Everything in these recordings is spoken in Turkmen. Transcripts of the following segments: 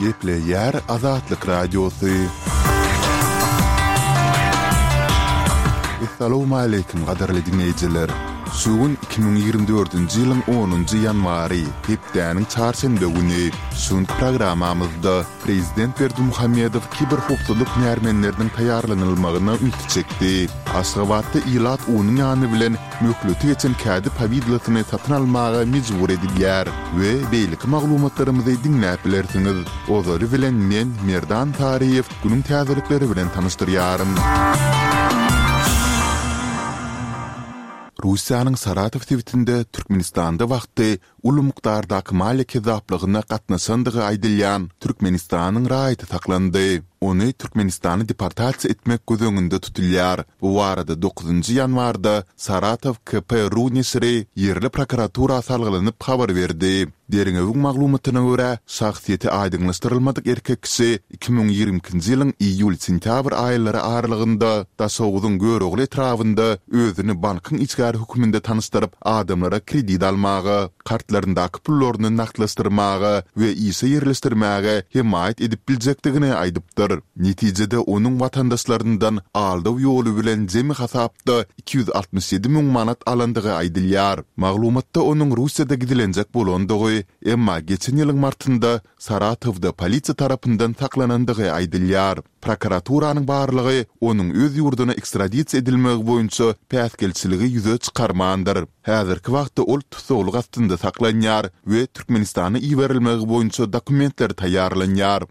Gepleýär Azatlyk Radiosy. Essalawmaleýkim gadyrly diňleýjiler! Şu gün 2024-nji ýylyň onunjy ýanwary, hepdäniň çarşenbe güni. Şu günki programmamyzda Prezident Berdimuhamedow kiberhowpsuzlyk hünärmenleriniň taýýarlanylmagyna ünsi çekdi. Aşgabatda ilat unuň ýany bilen möhleti geçen kädi powidlosyny satyn almaga mejbur edilýär we beýleki maglumatlarymyzy diňläp bilersiňiz. Ozaly bilen men, Merdan Saryýew, günüň täzelikleri bilen tanyşdyrýaryn. Russiýanyň Saratow sebitinde Türkmenistanda wagty uly mukdardaky maliýe kezzaplygyna gatnaşandygy aýdylýan Türkmenistanyň raýaty saklandy. Ony Türkmenistana deportasiýa etmek göz öňünde tutulýar. Bu barada dokuzynjy ýanwarda Saratow KP ru neşiri ýerli prokuratura salgylanyp habar berdi. Derňewiň maglumatyna görä, şahsyýeti aýdyňlaşdyrylmadyk erkek kişi 2022-nji ýylyň iýul-sentýabr aýlary aralygynda Daşoguzyň Görogly etrabynda özüni bankyň işgäri hökmünde tanyşdyryp, adamlara kredit almaga, kartlaryndaky pullaryny nagtlaşdyrmaga we işe ýerleşdirmäge hemaýat edip biljekdigini aýdypdyr. Netijede onuň watandaşlaryndan aldaw ýoly bilen jemi hasapda 267 müň manat alandygy aýdylýar. Maglumatda onuň Russiýada gizlenjek bolandygy, emma geçen ýylyň martynda Saratowda polisiýa tarapyndan saklanandygy aýdylýar. Prokuraturanyň barlagy onuň öz ýurduna ekstradisiýa edilmegi boýunça päsgelçiligi ýüze çykarmandyr. Häzirki wagtda ol tussaglyk astynda saklanýar we Türkmenistana iberilmegi boýunça dokumentler taýýarlanýar.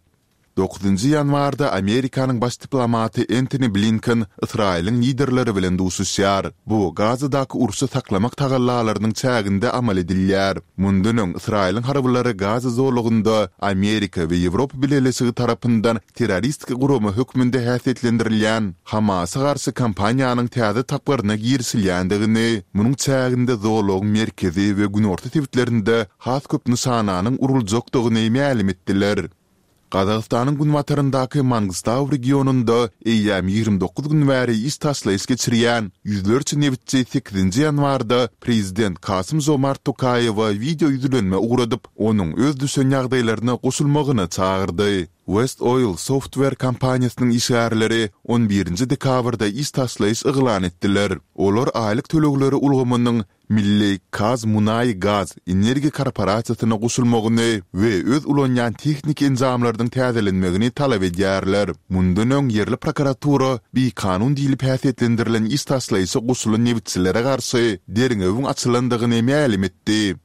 Dokuzynjy ýanwarda Amerikanyň baş diplomaty Entoni Blinken Ysraýylyň liderleri bilen duşuşýar. Bu Gazadaky urşy saklamak tagallalarynyň çäginde amal edilýär. Mundan öň Ysraýylyň harbylary Gaza zolagynda Amerika we Ýewropa Bileleşigi tarapyndan terroristik gurama hökmünde häsiýetlendirilýän Hamasa garşy kampaniýanyň täze tapgyryna girişilýändigini, munuň çäginde zolagyň merkezi we günorta sebitlerinde has köp nyşananyň uruljakdygyny mälim etdiler. Gazagystanyň günbataryndaky Mangystau regionynda eýýäm 29 gün bäri iş taşlaýyş geçirýän ýüzlerçe nebitçi sekizinji ýanwarda prezident Kasym-Žomart Tokaýewe wideo ýüzlenme ugradyp, onuň öz düşen ýagdaýlaryna goşulmagyna çagyrdy. West Oil Software kompaniýasynyň işgärleri on birinji dekabrda iş taşlaýyş yglan etdiler. Olar aýlyk tölegleri ulgamynyň Milli KazMunayGaz energiýa korporasiýasyna goşulmagyny we öz ulanýan tehniki enjamlarynyň täzelenmegini talap edýärler. Mundan öň ýerli prokuratura bikanun diýlip häsiýetlendirilen iş taşlaýyşa goşulan nebitçilere garşy derňewiň açylandygyny mälim etdi.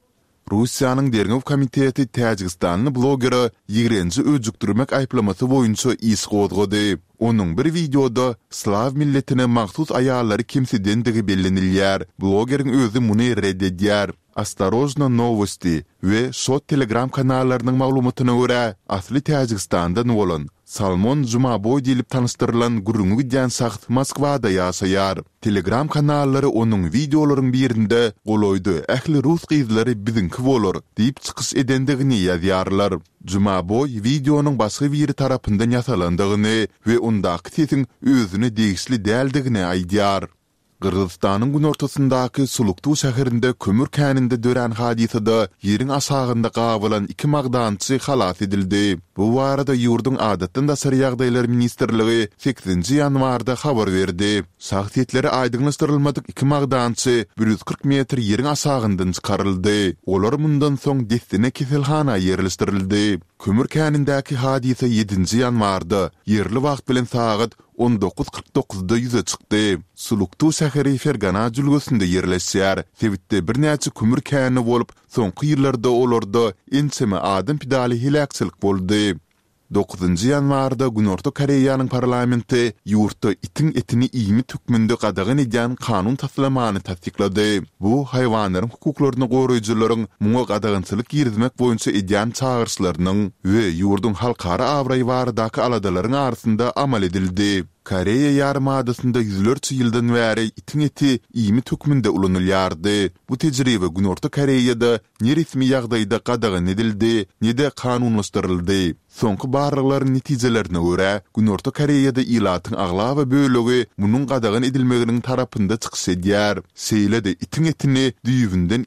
Russiýanyň Derňew komiteti täjigistanly blogere ýigrenji öjükdirmek aýyplamasy boýunça iş gozgady. Onuň bir wideoda slaw milletine mahsus aýallary kemsidendigi bellenilýär. Blogeriň özi muny ret edýär. Ostorojno nowosti we Shot Telegram kanallarynyň maglumatyna görä, asly Täjigistandan bolan, Salmon Jumaboý diýlip tanyşdyrylan gürrüňi gidýän şahs Moskwada ýaşaýar. Telegram kanallary onuň wideolaryň birinde golaýda ähli rus gyzlary biziňki bolar diýip çykyş edendigini ýazýarlar. Jumaboý wideonyň başga biri tarapyndan ýasalandygyny we ondaky sesiň özüne degişli däldigini aýdýar. Gyrgyzystanyň günortasyndaky Suluktu şäherinde kömür käninde dörän hadysada ýeriň aşagynda gabalan iki magdançy halas edildi. Bu barada ýurduň Adatdan daşary ýagdaýlar ministrligi sekizinji ýanwarda habar berdi. Şahsyýetleri aýdyňlaşdyrylmadyk iki magdançy 140 metr ýeriň aşagyndan çykaryldy. Olar mundan soň dessine keselhana ýerleşdirildi. Kömür känindäki hadysa ýedinji ýanwarda, ýerli wagt bilen sagat 19 49-da ýüze çykdy. Suluktu şäheri Fergana jülgesinde ýerleşýär. Sebitde birnäçe kömür käni bolup, soňky ýyllarda olarda ençeme adam pidaly heläkçilik boldy. Dokuzynjy ýanwarda Günorta Koreýanyň parlamenti ýurtda itiň etini iýmit hökmünde gadagan edýän kanun taslamany tassyklady. Bu haýwanlaryň hukuklaryny goraýjylaryň muňa gadagançylyk girizmek boýunça edýän çagyryşlarynyň we ýurduň halkara abraýy baradaky aladalaryň arasynda amal edildi. Koreýa ýarymadasynda ýüzlerçe ýyldan bäri itiň eti iýmit hökmünde ulanylýardy. Bu tejribe Günorta Koreýada ne resmi ýagdaýda gadagan edildi, ne-de kanunlaşdyryldy. Soňky barlaglaryň netijelerine görä, Günorta Koreýada ilatyň aglaba bölegi munuň gadagan edilmeginiň tarapynda çykyş edýär. Şeýle-de itiň etini düýbünden.